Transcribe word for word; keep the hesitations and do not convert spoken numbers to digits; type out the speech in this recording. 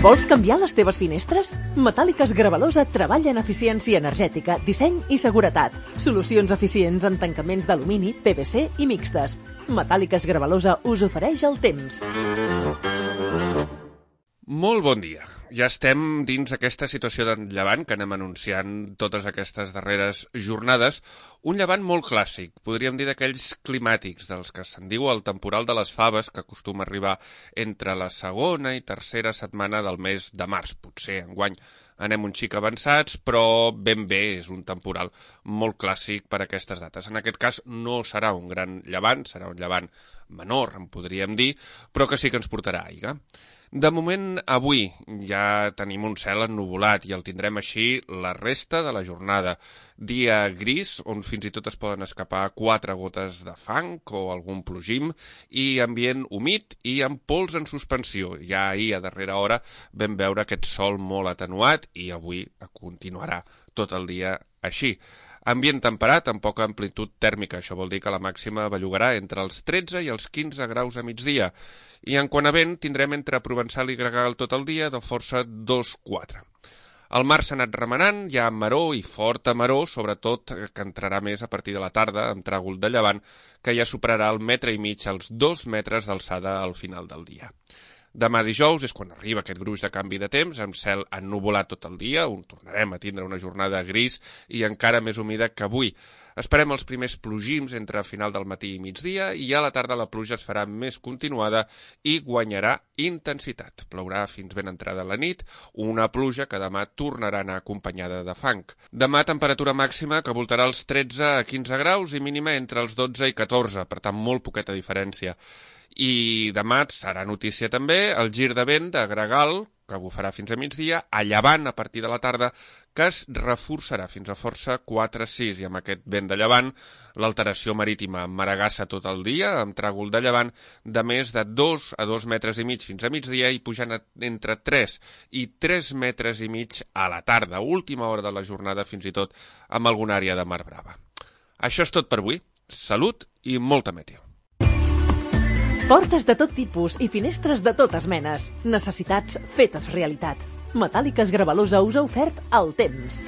Vols canviar les teves finestres? Metàl·liques Gravalosa treballa en eficiència energètica, disseny i seguretat. Solucions eficients en tancaments d'alumini, P V C i mixtes. Metàl·liques Gravalosa us ofereix el temps. Molt bon dia. Ja estem dins aquesta situació de llevant que anem anunciant totes aquestes darreres jornades. Un llevant molt clàssic, podríem dir d'aquells climàtics, dels que se'n diu el temporal de les faves, que acostuma a arribar entre la segona i tercera setmana del mes de març. Potser enguany anem un xic avançats, però ben bé és un temporal molt clàssic per a aquestes dates. En aquest cas no serà un gran llevant, serà un llevant menor, en podríem dir, però que sí que ens portarà aigua. De moment, avui ja tenim un cel ennuvolat i el tindrem així la resta de la jornada. Dia gris, on fins i tot es poden escapar quatre gotes de fang o algun plogim, i ambient humit i amb pols en suspensió. Ja ahir, a darrera hora, vam veure aquest sol molt atenuat i avui continuarà tot el dia així. Ambient temperat amb poca amplitud tèrmica, això vol dir que la màxima bellugarà entre els tretze i els quinze graus a migdia. I en quant a vent, tindrem entre Provençal i Gregal tot el dia de força dos quatre. El mar s'ha anat remenant, hi ha maror i forta maror, sobretot que entrarà més a partir de la tarda, amb tràgol de llevant, que ja superarà el metre i mig als dos metres d'alçada al final del dia. Demà dijous és quan arriba aquest gruix de canvi de temps, amb cel ennuvolat tot el dia, on tornarem a tindre una jornada gris i encara més humida que avui. Esperem els primers plogims entre final del matí i migdia i a la tarda la pluja es farà més continuada i guanyarà intensitat. Plourà fins ben entrada la nit, una pluja que demà tornarà a anar acompanyada de fang. Demà temperatura màxima que voltarà els tretze a quinze graus i mínima entre els dotze i catorze, per tant molt poqueta diferència. I demà serà notícia també el gir de vent de Gregal, que bufarà fins a migdia, a llevant a partir de la tarda, que es reforçarà fins a força quatre sis, i amb aquest vent de llevant l'alteració marítima maregassa tot el dia, amb tràgol de llevant de més de dos a dos metres i mig fins a migdia i pujant entre tres i tres metres i mig a la tarda, última hora de la jornada fins i tot amb alguna àrea de mar brava. Això és tot per avui. Salut i molta meteo. Portes de tot tipus i finestres de totes menes. Necessitats fetes realitat. Metàl·liques Gravalosa us ha ofert el temps.